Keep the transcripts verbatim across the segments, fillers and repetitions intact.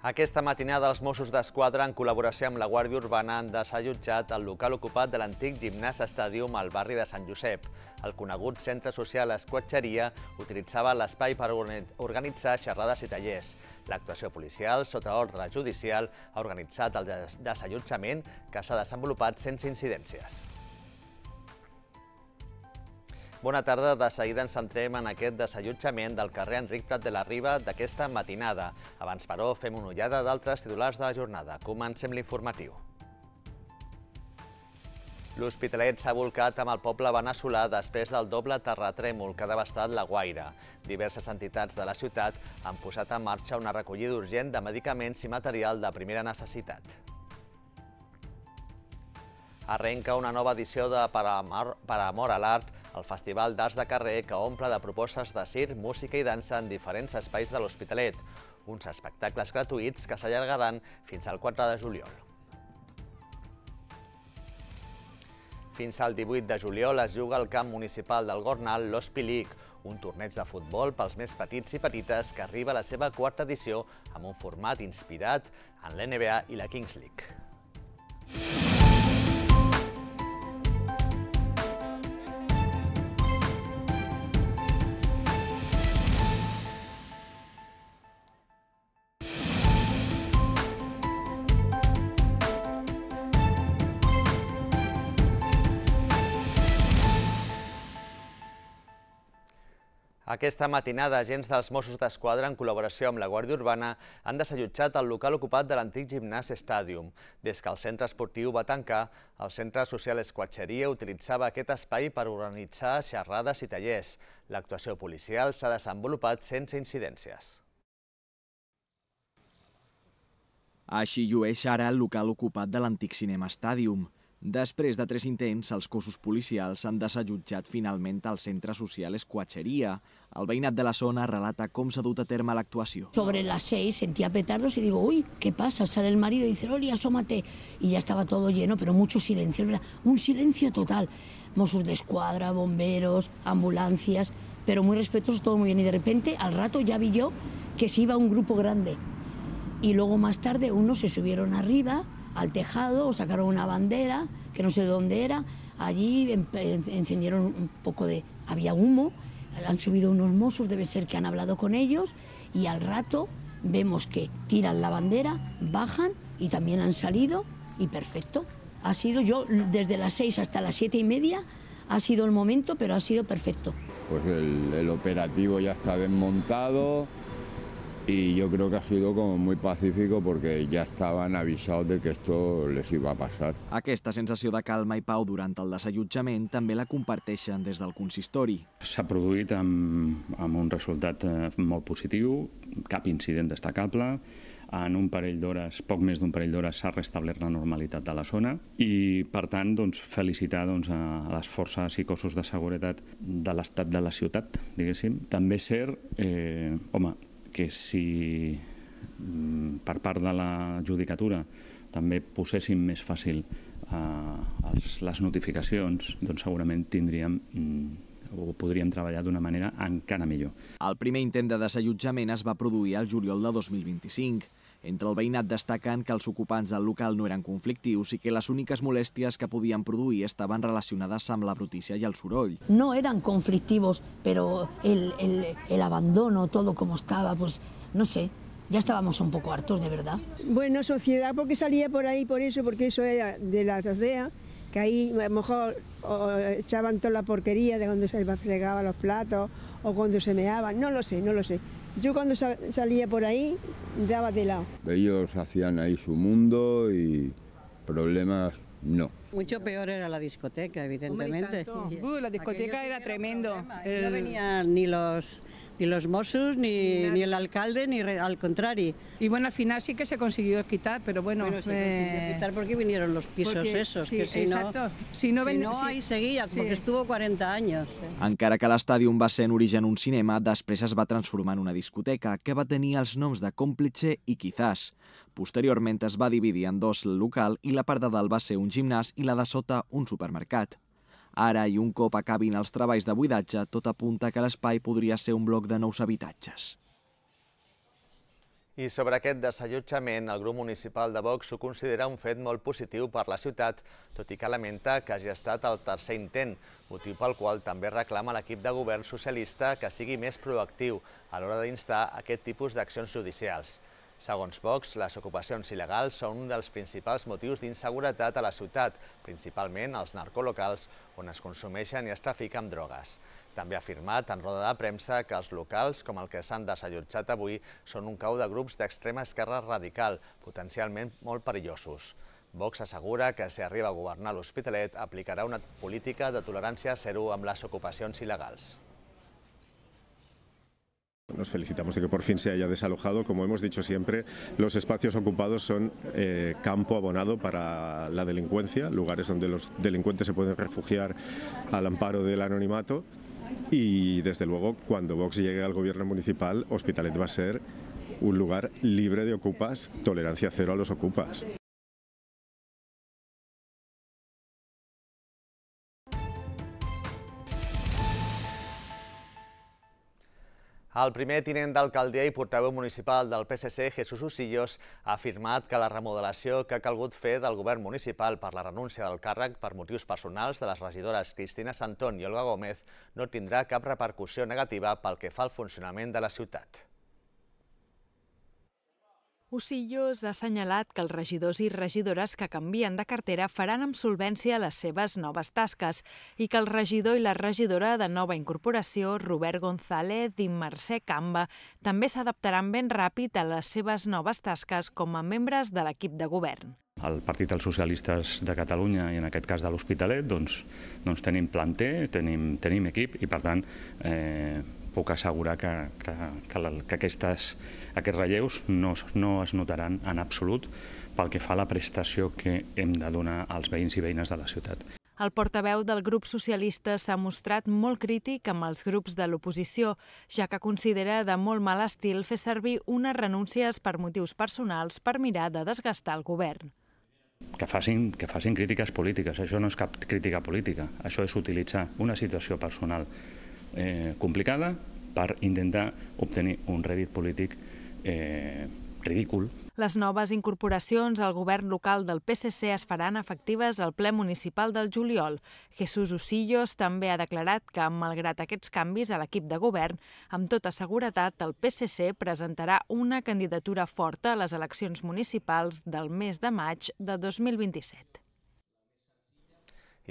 Aquesta matinada els Mossos d'Esquadra, en col·laboració amb la Guàrdia Urbana, han desallotjat el local ocupat de l'antic Gimnàs Stadium al barri de Sant Josep. El conegut centre social Esquatxeria utilitzava l'espai per organitzar xerrades i tallers. L'actuació policial, sota ordre judicial, ha organitzat el desallotjament que s'ha desenvolupat sense incidències. Bona tarda. De seguida ens centrem en aquest desallotjament del carrer Enric Prat de la Riba d'aquesta matinada. Abans, però, fem una ullada d'altres titulars de la jornada. Comencem l'informatiu. L'Hospitalet s'ha volcat amb el poble veneçolà després del doble terratrèmol que ha devastat La Guaira. Diverses entitats de la ciutat han posat en marxa una recollida urgent de medicaments i material de primera necessitat. Arrenca una nova edició de Per Amor a l'Art, el Festival d'Arts de Carrer que omple de propostes de circ, música i dansa en diferents espais de l'Hospitalet. Uns espectacles gratuïts que s'allargaran fins al quatre de juliol. Fins al divuit de juliol es juga al camp municipal del Gornal l'Hospi League, un torneig de futbol pels més petits i petites que arriba a la seva quarta edició amb un format inspirat en l'N B A i la Kings League. Aquesta matinada, agents dels Mossos d'Esquadra, en col·laboració amb la Guàrdia Urbana, han desallotjat el local ocupat de l'antic Gimnàs Stadium. Des que el centre esportiu va tancar, el centre social Esquatxeria utilitzava aquest espai per organitzar xerrades i tallers. L'actuació policial s'ha desenvolupat sense incidències. Així llueix ara el local ocupat de l'antic Cinema Stadium. Després de tres intents, els cossos policials han desallotjat finalment el centre social Esquatxeria. El veïnat de la zona relata com s'ha dut a terme l'actuació. Sobre las seis sentía petardos y digo, uy, ¿qué pasa? Sale el marido y dice, Oli, asómate. Y ya estaba todo lleno, pero mucho silencio, ¿verdad? Un silencio total. Mossos d'Esquadra, bomberos, ambulancias, pero muy respetuosos, todo muy bien. Y de repente, al rato ya vi yo que se iba un grupo grande. Y luego más tarde unos se subieron arriba al tejado, o sacaron una bandera, que no sé de dónde era, allí encendieron un poco de... había humo, han subido unos mossos, debe ser que han hablado con ellos, y al rato vemos que tiran la bandera, bajan y también han salido, y perfecto. Ha sido yo, desde las seis hasta las siete y media, ha sido el momento, pero ha sido perfecto. Pues el, el operativo ya está desmontado, y yo creo que ha sido como muy pacífico porque ya estaban avisados de que esto les iba a pasar. Aquesta sensació de calma i pau durant el desallotjament també la comparteixen des del consistori. S'ha produït amb, amb un resultat molt positiu, cap incident destacable. En un parell d'hores, poc més d'un parell d'hores, s'ha restablert la normalitat de la zona i, per tant, doncs, felicitar doncs, a les forces i cossos de seguretat de l'estat de la ciutat, diguéssim. També és cert, eh, home, que si per part de la judicatura també poséssim més fàcil eh, les notificacions, doncs segurament tindríem o podríem treballar d'una manera encara millor. El primer intent de desallotjament es va produir al juliol de dos mil vint-i-cinc. Entre el veïnat destaquen que els ocupants del local no eren conflictius i que les úniques molèsties que podien produir estaven relacionades amb la brutícia i el soroll. No eran conflictivos, pero el, el, el abandono, todo como estaba, pues no sé, ya estábamos un poco hartos, de verdad. Bueno, sociedad porque salía por ahí por eso, porque eso era de la azotea, que ahí a lo mejor o echaban toda la porquería de cuando se fregaban los platos o cuando se meaban, no lo sé, no lo sé. Yo cuando salía por ahí daba de lado. Ellos hacían ahí su mundo y problemas no. Mucho peor era la discoteca, evidentemente. Uh, la discoteca era tremendo. El... No venían ni los, ni los Mossos, ni, ni el alcalde, ni re, al contrario. Y bueno, al final sí que se consiguió quitar, pero bueno... Bueno, se eh... consiguió quitar porque vinieron los pisos porque, esos, sí, que si exacto. no... Si no, si ven... no sí. ahí seguía, sí. Porque estuvo cuarenta años. Encara que l'estàdium va ser en origen un cinema, després es va transformar en una discoteca que va tenir els noms de Cómplice i Quizás. Posteriorment es va dividir en dos el local i la part de dalt va ser un gimnàs i la de sota un supermercat. Ara, i un cop acabin els treballs de buidatge, tot apunta que l'espai podria ser un bloc de nous habitatges. I sobre aquest desallotjament, el grup municipal de Vox ho considera un fet molt positiu per la ciutat, tot i que lamenta que hagi estat el tercer intent, motiu pel qual també reclama l'equip de govern socialista que sigui més proactiu a l'hora d'instar aquest tipus d'accions judicials. Segons Vox, les ocupacions il·legals són un dels principals motius d'inseguretat a la ciutat, principalment als narcolocals, on es consumeixen i es trafica amb drogues. També ha afirmat en roda de premsa que els locals, com el que s'han desallotjat avui, són un cau de grups d'extrema esquerra radical, potencialment molt perillosos. Vox assegura que si arriba a governar l'Hospitalet aplicarà una política de tolerància zero amb les ocupacions il·legals. Nos felicitamos de que por fin se haya desalojado. Como hemos dicho siempre, los espacios ocupados son eh, campo abonado para la delincuencia, lugares donde los delincuentes se pueden refugiar al amparo del anonimato. Y desde luego, cuando Vox llegue al gobierno municipal, Hospitalet va a ser un lugar libre de ocupas, tolerancia cero a los ocupas. El primer tinent d'alcaldia i portaveu municipal del P S C, Jesús Usillos, ha afirmat que la remodelació que ha calgut fer del govern municipal per la renúncia del càrrec per motius personals de les regidores Cristina Santón i Olga Gómez no tindrà cap repercussió negativa pel que fa al funcionament de la ciutat. Usillos ha assenyalat que els regidors i regidores que canvien de cartera faran amb solvència les seves noves tasques i que el regidor i la regidora de nova incorporació, Robert González i Mercè Camba, també s'adaptaran ben ràpid a les seves noves tasques com a membres de l'equip de govern. El Partit dels Socialistes de Catalunya i en aquest cas de l'Hospitalet doncs, doncs tenim planter, tenim, tenim equip i per tant eh, puc assegurar que, que, que, que aquestes, aquests relleus no, no es notaran en absolut pel que fa a la prestació que hem de donar als veïns i veïnes de la ciutat. El portaveu del grup socialista s'ha mostrat molt crític amb els grups de l'oposició, ja que considera de molt mal estil fer servir unes renúncies per motius personals per mirar de desgastar el govern. Que facin, que facin crítiques polítiques, això no és cap crítica política, això és utilitzar una situació personal eh, complicada per intentar obtenir un rèdit polític eh, ridícul. Les noves incorporacions al govern local del P S C es faran efectives al ple municipal del juliol. Jesús Usillos també ha declarat que, malgrat aquests canvis a l'equip de govern, amb tota seguretat el P S C presentarà una candidatura forta a les eleccions municipals del mes de maig de dos mil vint-i-set.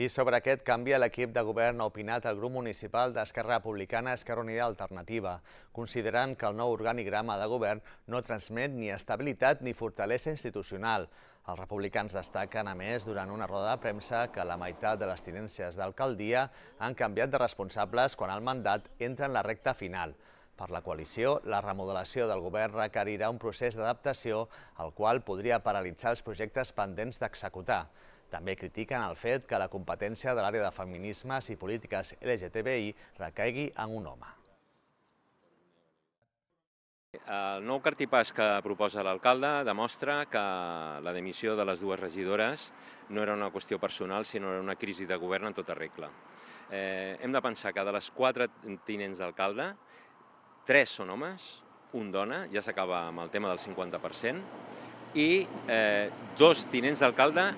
I sobre aquest canvi a l'equip de govern ha opinat el grup municipal d'Esquerra Republicana Esquerra Unida Alternativa, considerant que el nou organigrama de govern no transmet ni estabilitat ni fortalesa institucional. Els republicans destaquen, a més, durant una roda de premsa, que la meitat de les tinències d'alcaldia han canviat de responsables quan el mandat entra en la recta final. Per la coalició, la remodelació del govern requerirà un procés d'adaptació, el qual podria paralitzar els projectes pendents d'executar. També critiquen el fet que la competència de l'àrea de feminismes i polítiques L G T B I recaigui en un home. El nou cartipàs que proposa l'alcalde demostra que la dimissió de les dues regidores no era una qüestió personal, sinó era una crisi de govern en tota regla. Eh, hem de pensar que de les quatre tinents d'alcalde, tres són homes, un dona, ja s'acaba amb el tema del cinquanta per cent, i eh, dos tinents d'alcalde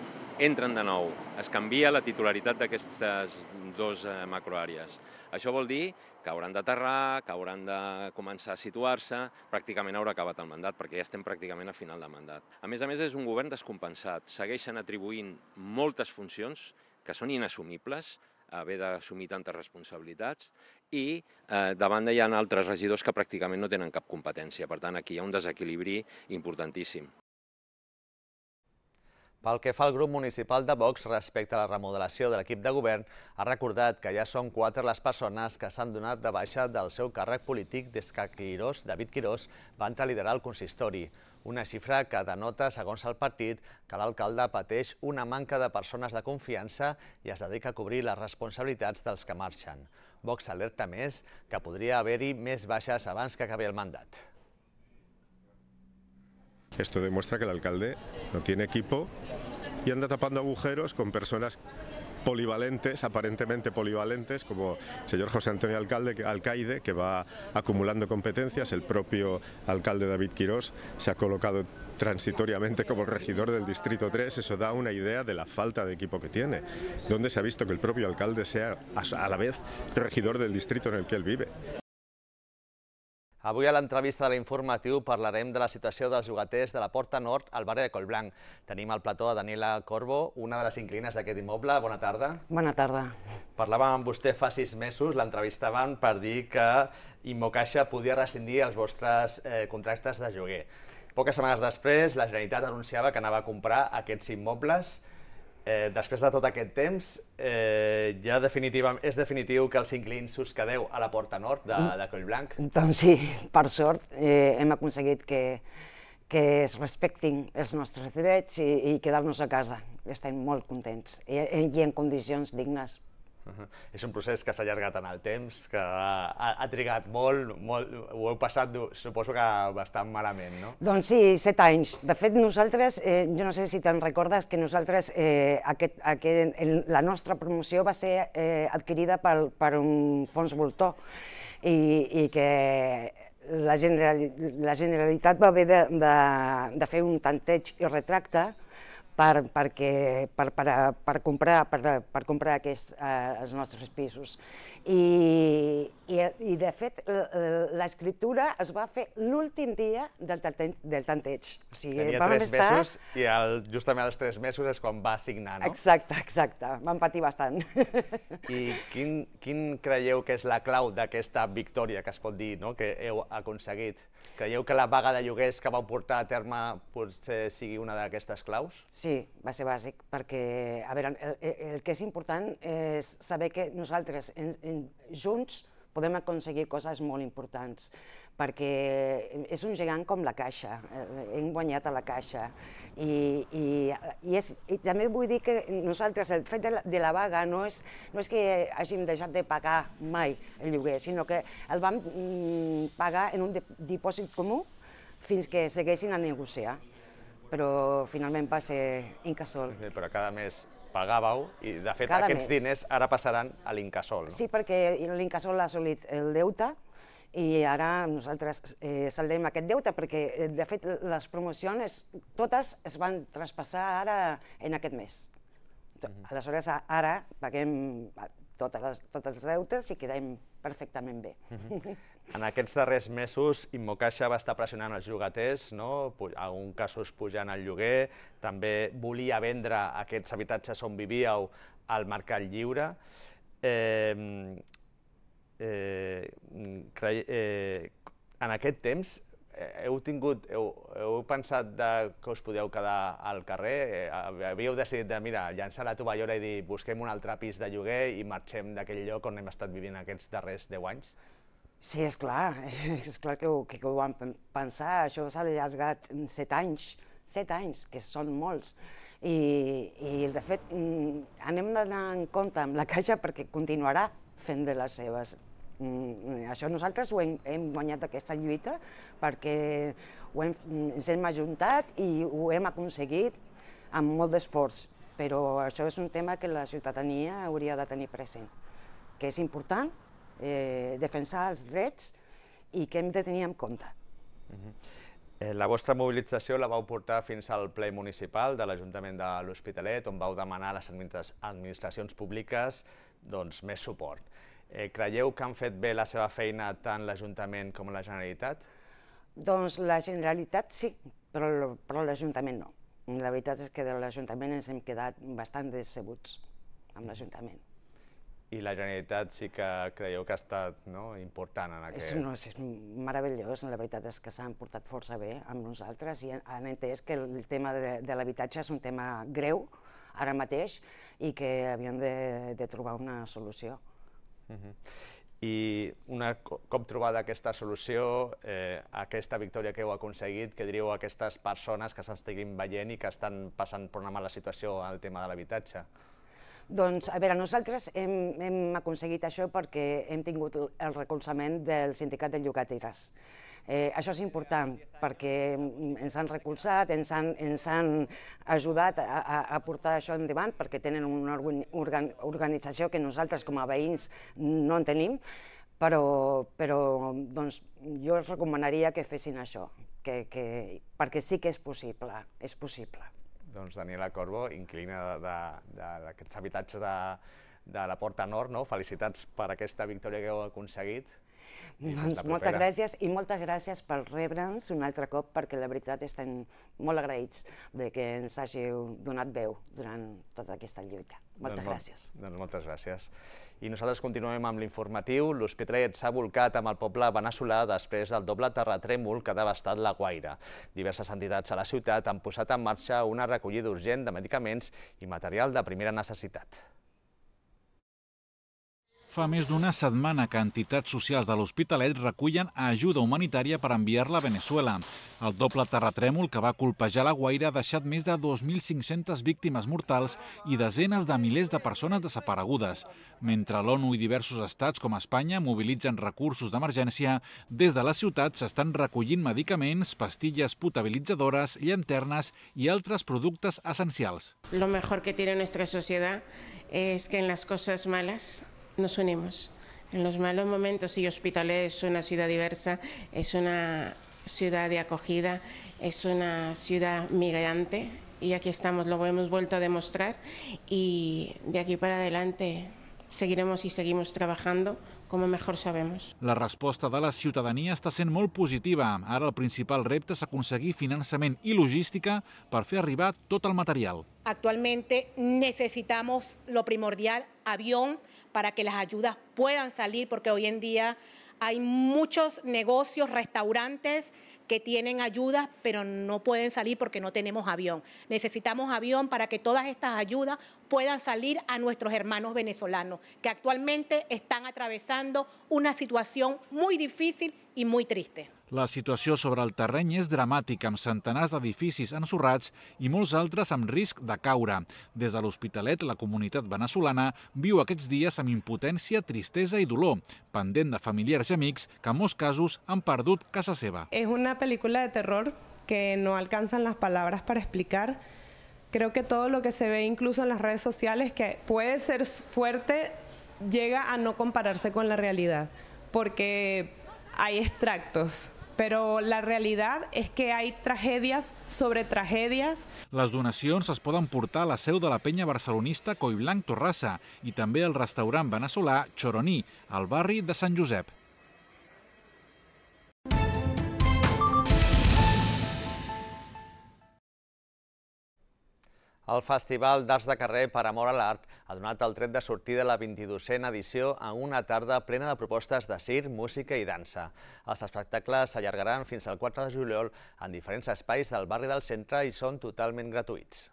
entren de nou. Es canvia la titularitat d'aquestes dues macroàrees. Això vol dir que hauran d'aterrar, que hauran de començar a situar-se, pràcticament haurà acabat el mandat, perquè ja estem pràcticament a final de mandat. A més a més, és un govern descompensat. Segueixen atribuint moltes funcions que són inassumibles, haver d'assumir tantes responsabilitats, i eh, de banda hi ha altres regidors que pràcticament no tenen cap competència. Per tant, aquí hi ha un desequilibri importantíssim. Pel que fa al grup municipal de Vox respecte a la remodelació de l'equip de govern, ha recordat que ja són quatre les persones que s'han donat de baixa del seu càrrec polític des que Quirós, David Quirós, va entrar a liderar el consistori. Una xifra que denota, segons el partit, que l'alcalde pateix una manca de persones de confiança i es dedica a cobrir les responsabilitats dels que marxen. Vox alerta més que podria haver-hi més baixes abans que acabi el mandat. Esto demuestra que el alcalde no tiene equipo y anda tapando agujeros con personas polivalentes, aparentemente polivalentes, como el señor José Antonio Alcalde, Alcaide, que va acumulando competencias. El propio alcalde David Quirós se ha colocado transitoriamente como regidor del Distrito tres. Eso da una idea de la falta de equipo que tiene, donde se ha visto que el propio alcalde sea a la vez regidor del distrito en el que él vive. Avui a l'entrevista de l'informatiu parlarem de la situació dels llogaters de la Porta Nord al barri de Collblanc. Tenim al plató a Daniela Corbo, una de les inquilines d'aquest immoble. Bona tarda. Bona tarda. Parlàvem amb vostè fa sis mesos, l'entrevistàvem per dir que Immocaixa podia rescindir els vostres eh, contractes de lloguer. Poques setmanes després, la Generalitat anunciava que anava a comprar aquests immobles. Eh, després de tot aquest temps, eh, ja definitiva, és definitiu que els inquilins us quedeu a la Porta Nord de, de Collblanc? Doncs sí, per sort eh, hem aconseguit que, que es respectin els nostres drets i, i quedar-nos a casa. Estem molt contents i, i en condicions dignes. Uh-huh. És un procés que s'ha allargat en el temps, que ha, ha trigat molt, molt, ho heu passat, suposo que bastant malament, no? Doncs sí, set anys. De fet, nosaltres, eh, jo no sé si te'n recordes, que nosaltres, eh, aquest, aquest, el, la nostra promoció va ser eh, adquirida per, per un fons voltor i, i que la, general, la Generalitat va haver de, de, de fer un tanteig i retracte Per, perquè, per, per, per comprar, per, per comprar aquests, eh, els nostres pisos. I, i, i de fet, l'escriptura es va fer l'últim dia del, del tanteig. O sigui, tenia tres estar... mesos i el, justament als tres mesos és quan va signar, no? Exacte, exacte. Vam patir bastant. I quin, quin creieu que és la clau d'aquesta victòria que es pot dir, no?, que heu aconseguit? Creieu que la vaga de lloguers que vau portar a terme potser sigui una d'aquestes claus? Sí, va ser bàsic, perquè a veure, el, el que és important és saber que nosaltres en, en, junts podem aconseguir coses molt importants, perquè és un gegant com la Caixa, hem guanyat a la Caixa. I, i, i, és, i també vull dir que nosaltres, el fet de la, de la vaga no és, no és que hàgim deixat de pagar mai el lloguer, sinó que el vam mm, pagar en un dipòsit comú fins que segueixin a negociar. Però finalment va ser Incasòl. Sí, però cada mes pagàveu i, de fet, cada aquests mes. diners ara passaran a l'Incasòl, no? Sí, perquè l'Incasòl ha assolit el deute i ara nosaltres eh, saldem aquest deute perquè, de fet, les promocions totes es van traspassar ara en aquest mes. Mm-hmm. Aleshores, ara paguem totes les, tots els deutes i quedem perfectament bé. Mm-hmm. En aquests darrers mesos, Immocaixa va estar pressionant els llogaters, no? En alguns casos pujant el lloguer, també volia vendre aquests habitatges on vivíeu al mercat lliure. Eh, eh, cre... eh, en aquest temps, heu, tingut, heu, heu pensat de que us podíeu quedar al carrer? Havíeu decidit de, mira, llançar la tovallola i dir busquem un altre pis de lloguer i marxem d'aquell lloc on hem estat vivint aquests darrers deu anys? Sí, és clar, és clar que ho, que ho vam pensar, això s'ha allargat set anys, set anys, que són molts. I, i de fet, anem d'anar en compte amb la Caixa perquè continuarà fent de les seves. Això nosaltres ho hem, hem guanyat aquesta lluita perquè ho hem, ens hem ajuntat i ho hem aconseguit amb molt d'esforç, però això és un tema que la ciutadania hauria de tenir present, que és important, Eh, defensar els drets i que hem de tenir en compte. Uh-huh. eh, la vostra mobilització la vau portar fins al ple municipal de l'Ajuntament de l'Hospitalet, on vau demanar a les administracions públiques doncs, més suport. Eh, creieu que han fet bé la seva feina tant l'Ajuntament com la Generalitat? Doncs la Generalitat sí, però, però l'Ajuntament no. La veritat és que de l'Ajuntament ens hem quedat bastant decebuts amb l'Ajuntament. I la Generalitat sí que creieu que ha estat, no, important en aquest... És, no, és meravellós, la veritat és que s'han portat força bé amb nosaltres i han entès que el tema de, de l'habitatge és un tema greu ara mateix i que havien de, de trobar una solució. Uh-huh. I una cop trobada aquesta solució, eh, aquesta victòria que heu aconseguit, què diríeu a aquestes persones que s'estiguin veient i que estan passant per una mala situació al tema de l'habitatge? Doncs, a veure, nosaltres hem, hem aconseguit això perquè hem tingut el recolzament del sindicat de llogateres. Eh, això és important perquè ens han recolzat, ens han, ens han ajudat a, a, a portar això endavant perquè tenen una organ, organització que nosaltres com a veïns no en tenim, però, però doncs, jo els recomanaria que fessin això, que, que, perquè sí que és possible, és possible. Doncs Daniela Corbo, inquilina d'aquests habitatges de, de la Porta Nord, no? Felicitats per aquesta victòria que heu aconseguit. Doncs moltes gràcies i moltes gràcies per rebre'ns un altre cop perquè la veritat estem molt agraïts de que ens hàgiu donat veu durant tota aquesta lluita. Moltes gràcies. Doncs moltes gràcies. I nosaltres continuem amb l'informatiu. L'Hospitalet s'ha volcat amb el poble veneçolà després del doble terratrèmol que ha devastat La Guaira. Diverses entitats a la ciutat han posat en marxa una recollida urgent de medicaments i material de primera necessitat. Fa més d'una setmana que entitats socials de l'Hospitalet recullen ajuda humanitària per enviar-la a Veneçuela. El doble terratrèmol que va colpejar La Guaira ha deixat més de dos mil cinc-centes víctimes mortals i desenes de milers de persones desaparegudes. Mentre l'ONU i diversos estats com Espanya mobilitzen recursos d'emergència, des de la ciutat s'estan recollint medicaments, pastilles potabilitzadores, llanternes i altres productes essencials. Lo mejor que tiene nuestra sociedad es que en las cosas malas nos unimos. En los malos momentos, y Hospitalet es una ciudad diversa, es una ciudad de acogida, es una ciudad migrante y aquí estamos, lo hemos vuelto a demostrar y de aquí para adelante seguiremos y seguimos trabajando com mejor sabemos. La resposta de la ciutadania està sent molt positiva. Ara el principal repte és aconseguir finançament i logística per fer arribar tot el material. Actualmente necesitamos lo primordial, avión, para que las ayudas puedan salir, porque hoy en día hay muchos negocios, restaurantes que tienen ayudas, pero no pueden salir porque no tenemos avión. Necesitamos avión para que todas estas ayudas puedan salir a nuestros hermanos venezolanos, que actualmente están atravesando una situación muy difícil y muy triste. La situació sobre el terreny és dramàtica, amb centenars d'edificis ensorrats i molts altres amb risc de caure. Des de l'Hospitalet, la comunitat veneçolana viu aquests dies amb impotència, tristesa i dolor, pendent de familiars i amics que en molts casos han perdut casa seva. Es una película de terror que no alcanzan las palabras para explicar. Creo que todo lo que se ve incluso en las redes sociales, que puede ser fuerte, llega a no compararse con la realidad, porque hay extractos. Però la realitat és que hi ha tragèdies sobre tragèdies. Les donacions es poden portar a la seu de la penya barcelonista Collblanc Torrassa i també al restaurant veneçolà Choroní, al barri de Sant Josep. El Festival d'Arts de Carrer Per Amor a l'Art ha donat el tret de sortida a la vint-i-dosena edició en una tarda plena de propostes de circ, música i dansa. Els espectacles s'allargaran fins al quatre de juliol en diferents espais del barri del centre i són totalment gratuïts.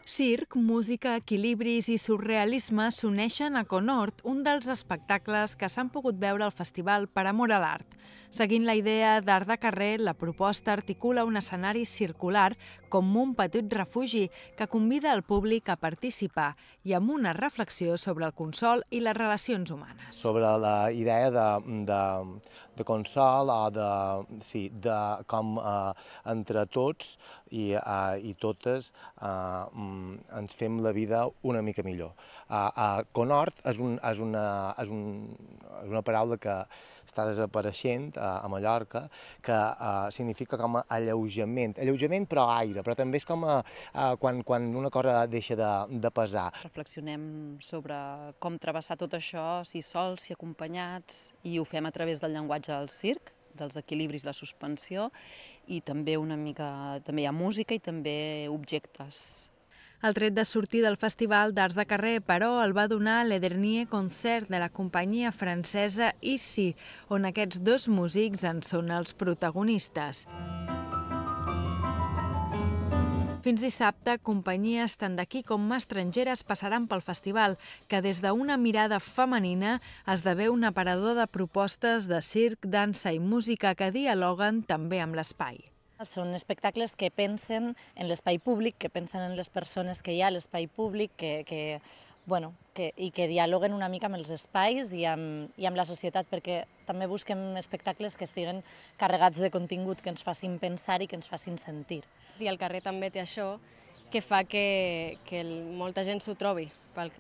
Circ, música, equilibris i surrealisme s'uneixen a Conhort, un dels espectacles que s'han pogut veure al Festival Per Amor a l'Art. Seguint la idea d'Art de Carrer, la proposta articula un escenari circular com un petit refugi que convida el públic a participar i amb una reflexió sobre el consol i les relacions humanes. Sobre la idea de, de, de consol o de, sí, de com eh, entre tots i, eh, i totes eh, ens fem la vida una mica millor. Uh, uh, Conhort és, un, és, una, és, un, és una paraula que està desapareixent uh, a Mallorca, que uh, significa com a alleujament, alleujament però aire, però també és com a, uh, quan, quan una cosa deixa de, de pesar. Reflexionem sobre com travessar tot això, si sols, si acompanyats, i ho fem a través del llenguatge del circ, dels equilibris, la suspensió, i també una mica, també hi ha música i també objectes. El tret de sortir del Festival d'Arts de Carrer, però, el va donar Le Dernier Concert de la companyia francesa Ici, on aquests dos músics en són els protagonistes. Fins dissabte, companyies tant d'aquí com estrangeres passaran pel festival, que des d'una mirada femenina esdevé un aparador de propostes de circ, dansa i música que dialoguen també amb l'espai. Són espectacles que pensen en l'espai públic, que pensen en les persones que hi ha a l'espai públic, que, que, bueno, que, i que dialoguen una mica amb els espais i amb, i amb la societat, perquè també busquem espectacles que estiguen carregats de contingut, que ens facin pensar i que ens facin sentir. I el carrer també té això que fa que, que molta gent s'ho trobi pel,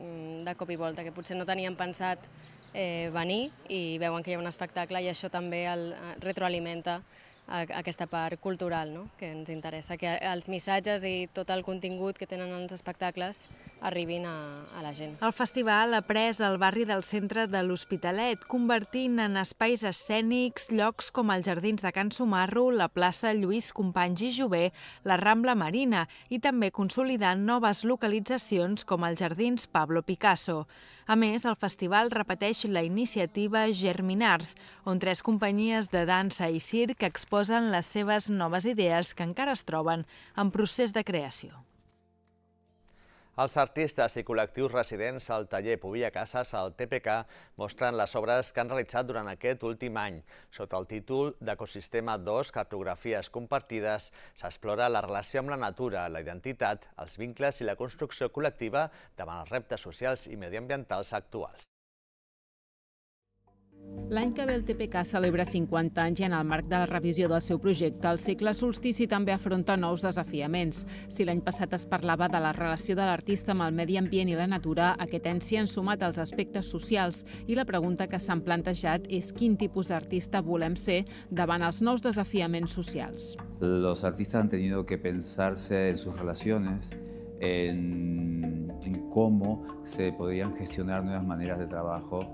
de cop i volta, que potser no tenien pensat eh, venir i veuen que hi ha un espectacle i això també el retroalimenta aquesta part cultural, no?, que ens interessa, que els missatges i tot el contingut que tenen els espectacles arribin a, a la gent. El festival ha pres el barri del centre de l'Hospitalet, convertint en espais escènics llocs com els jardins de Can Sumarro, la plaça Lluís Companys i Jover, la Rambla Marina i també consolidant noves localitzacions com els jardins Pablo Picasso. A més, el festival repeteix la iniciativa Germinars, on tres companyies de dansa i circ exposen les seves noves idees que encara es troben en procés de creació. Els artistes i col·lectius residents al taller Povilla Casas, al T P K, mostren les obres que han realitzat durant aquest últim any. Sota el títol d'Ecosistema dos, cartografies compartides, s'explora la relació amb la natura, la identitat, els vincles i la construcció col·lectiva davant els reptes socials i mediambientals actuals. L'any que ve el T P K celebra cinquanta anys i en el marc de la revisió del seu projecte, el cicle Solstici també afronta nous desafiaments. Si l'any passat es parlava de la relació de l'artista amb el medi ambient i la natura, aquest any s'hi han sumat els aspectes socials i la pregunta que s'han plantejat és quin tipus d'artista volem ser davant els nous desafiaments socials. Los artistas han tenido que pensarse en sus relaciones, en, en cómo se podrían gestionar nuevas maneras de trabajo,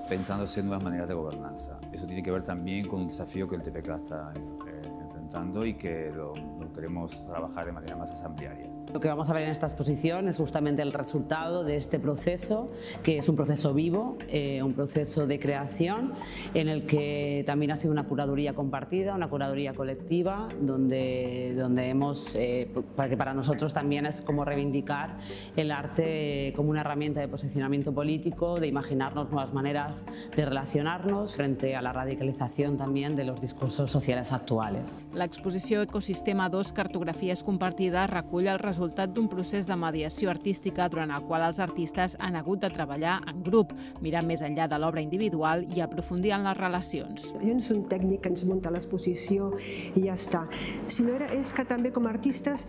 pensándose en nuevas maneras de gobernanza. Eso tiene que ver también con un desafío que el T P K está eh, enfrentando y que lo, lo queremos trabajar de manera más asamblearia. Lo que vamos a ver en esta exposición es justamente el resultado de este proceso, que es un proceso vivo, eh, un proceso de creación, en el que también ha sido una curaduría compartida, una curaduría colectiva, donde, donde hemos, eh, para que para nosotros también es como reivindicar el arte como una herramienta de posicionamiento político, de imaginarnos nuevas maneras de relacionarnos frente a la radicalización también de los discursos sociales actuales. L'exposició Ecosistema dos, cartografies compartides, recull el resultat d'un procés de mediació artística durant el qual els artistes han hagut de treballar en grup, mirar més enllà de l'obra individual i aprofundir en les relacions. Jo no soc un tècnic que ens munta l'exposició i ja està, sinó és que també com a artistes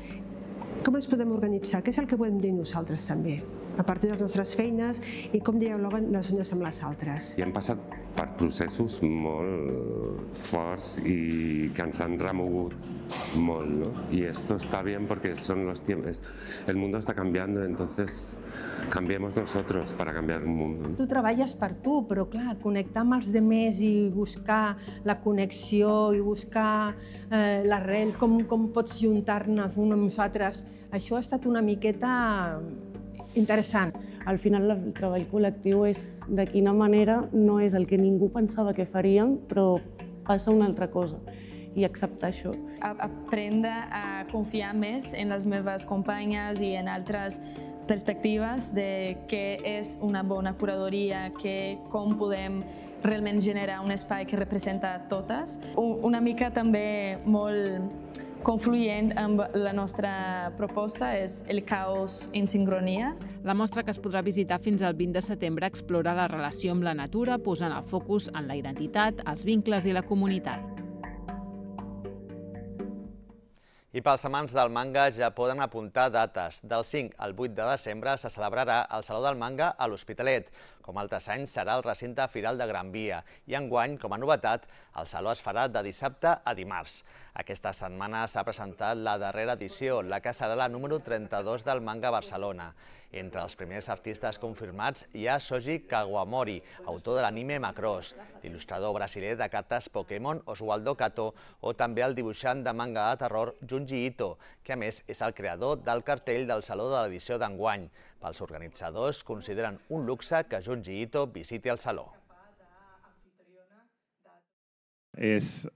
com ens podem organitzar, què és el que podem dir nosaltres també, a partir de les nostres feines i com dialoguen les unes amb les altres. I hem passat per processos molt forts i que ens han remogut molt, ¿no? Y esto está bien porque son los tiempos, el mundo está cambiando, entonces cambiemos nosotros para cambiar el mundo. Tu treballes per tu, però clar, connectar amb els demés i buscar la connexió i buscar eh, l'arrel, com, com pots juntar-ne un amb nosaltres, això ha estat una miqueta interessant. Al final el treball col·lectiu és de quina manera no és el que ningú pensava que faríem, però passa una altra cosa i acceptar això. Aprendre a confiar més en les meves companyes i en altres perspectives de què és una bona curadoria, que, com podem realment generar un espai que representa totes. Una mica també molt confluent amb la nostra proposta és el caos en sincronia. La mostra, que es podrà visitar fins al vint de setembre, explora la relació amb la natura, posant el focus en la identitat, els vincles i la comunitat. I pels amants del manga ja poden apuntar dates. Del cinc al vuit de desembre se celebrarà el Saló del Manga a l'Hospitalet. Com altres anys, serà al recinte Firal de Gran Via. I enguany, com a novetat, el Saló es farà de dissabte a dimarts. Aquesta setmana s'ha presentat la darrera edició, la que serà la número trenta-dos del Manga a Barcelona. Entre els primers artistes confirmats hi ha Shoji Kawamori, autor de l'anime Macross, l'il·lustrador brasiler de cartes Pokémon Oswaldo Kato o també el dibuixant de manga de terror Junji Ito, que a més és el creador del cartell del Saló de l'edició d'enguany. Pels organitzadors consideren un luxe que Junji Ito visiti el Saló. És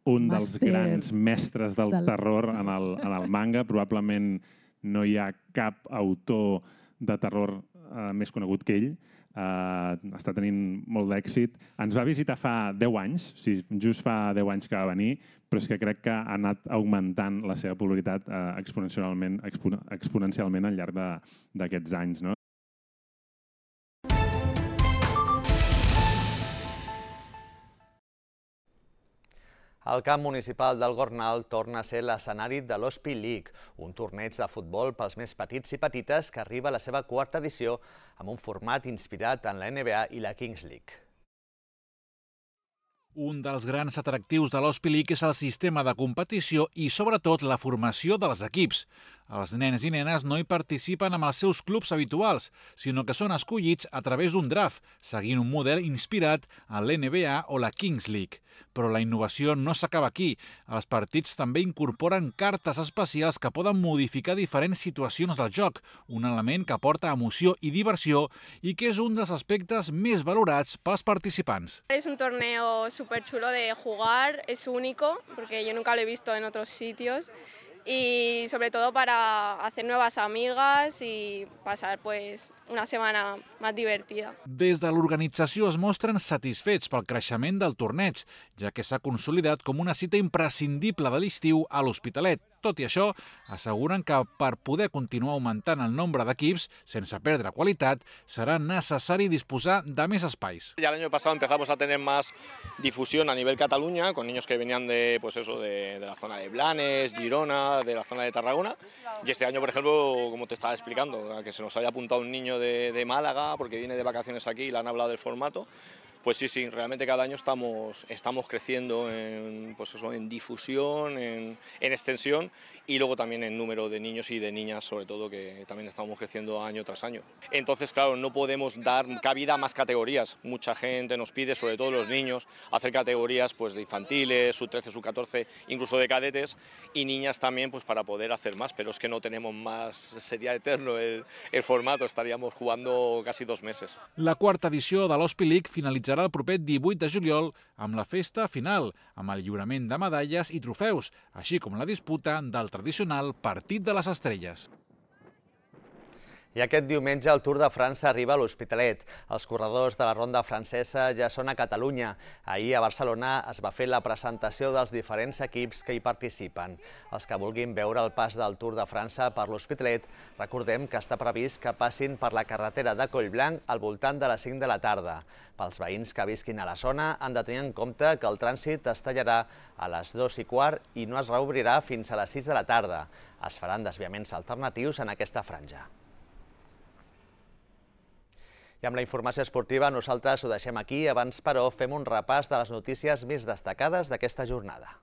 un dels grans mestres del terror en el, en el manga. Probablement no hi ha cap autor de terror uh, més conegut que ell. Uh, està tenint molt d'èxit. Ens va visitar fa deu anys, o sigui, just fa deu anys que va venir, però és que crec que ha anat augmentant la seva popularitat uh, exponencialment, expo exponencialment al llarg d'aquests anys, no? El camp municipal del Gornal torna a ser l'escenari de l'Hospi League, un torneig de futbol pels més petits i petites que arriba a la seva quarta edició amb un format inspirat en la N B A i la Kings League. Un dels grans atractius de l'Hospi League és el sistema de competició i, sobretot, la formació dels equips. Els nens i nenes no hi participen amb els seus clubs habituals, sinó que són escollits a través d'un draft, seguint un model inspirat en l'N B A o la Kings League. Però la innovació no s'acaba aquí. Els partits també incorporen cartes especials que poden modificar diferents situacions del joc, un element que aporta emoció i diversió i que és un dels aspectes més valorats pels participants. Es un torneo súper chulo de jugar, es único, porque yo nunca lo he visto en otros sitios. Y sobre todo para hacer nuevas amigas y pasar pues una setmana més divertida. Des de l'organització es mostren satisfets pel creixement del torneig, ja que s'ha consolidat com una cita imprescindible de l'estiu a l'Hospitalet. Tot i això, asseguren que per poder continuar augmentant el nombre d'equips, sense perdre qualitat, serà necessari disposar de més espais. Ya el año pasado empezamos a tener más difusión a nivel Cataluña, con niños que venían de, pues eso, de, de la zona de Blanes, Girona, de la zona de Tarragona. Y este año, por ejemplo, como te estaba explicando, que se nos haya apuntado un niño de, de Málaga, porque viene de vacaciones aquí y le han hablado del formato. Pues sí, sí, realmente cada año estamos, estamos creciendo en, pues eso, en difusión, en, en extensión y luego también en número de niños y de niñas, sobre todo, que también estamos creciendo año tras año. Entonces, claro, no podemos dar cabida a más categorías. Mucha gente nos pide, sobre todo los niños, hacer categorías pues, de infantiles, sub trece, sub catorce, incluso de cadetes, y niñas también pues, para poder hacer más, pero es que no tenemos más, sería eterno el, el formato, estaríamos jugando casi dos meses. La quarta edició de l'Hospi League finalitzarà el proper divuit de juliol amb la festa final, amb el lliurament de medalles i trofeus, així com la disputa del tradicional Partit de les Estrelles. I aquest diumenge el Tour de França arriba a l'Hospitalet. Els corredors de la ronda francesa ja són a Catalunya. Ahir a Barcelona es va fer la presentació dels diferents equips que hi participen. Els que vulguin veure el pas del Tour de França per l'Hospitalet, recordem que està previst que passin per la carretera de Collblanc al voltant de les cinc de la tarda. Pels veïns que visquin a la zona han de tenir en compte que el trànsit es tallarà a les dues i quart i no es reobrirà fins a les sis de la tarda. Es faran desviaments alternatius en aquesta franja. I amb la informació esportiva nosaltres ho deixem aquí. Abans, però, fem un repàs de les notícies més destacades d'aquesta jornada.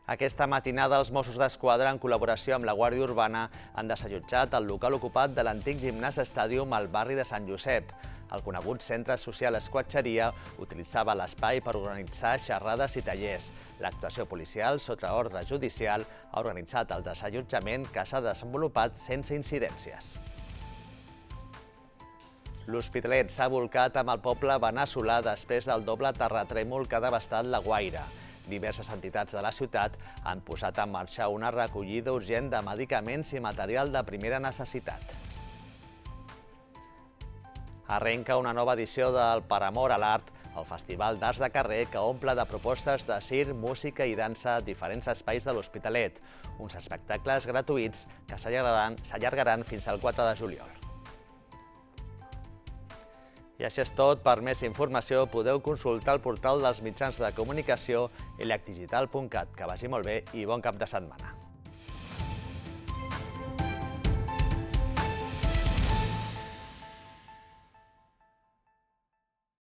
Aquesta matinada els Mossos d'Esquadra, en col·laboració amb la Guàrdia Urbana, han desallotjat el local ocupat de l'antic gimnàs Stadium al barri de Sant Josep. El conegut centre social Esquatxeria utilitzava l'espai per organitzar xerrades i tallers. L'actuació policial, sota ordre judicial, ha organitzat el desallotjament que s'ha desenvolupat sense incidències. L'Hospitalet s'ha volcat amb el poble veneçolà després del doble terratrèmol que ha devastat la Guaira. Diverses entitats de la ciutat han posat en marxa una recollida urgent de medicaments i material de primera necessitat. Arrenca una nova edició del Per Amor a l'Art, el Festival d'Arts de Carrer que omple de propostes de circ, música i dansa a diferents espais de l'Hospitalet. Uns espectacles gratuïts que s'allargaran fins al quatre de juliol. I això és tot. Per més informació podeu consultar el portal dels mitjans de comunicació elacdigital punt cat. Que vagi molt bé i bon cap de setmana.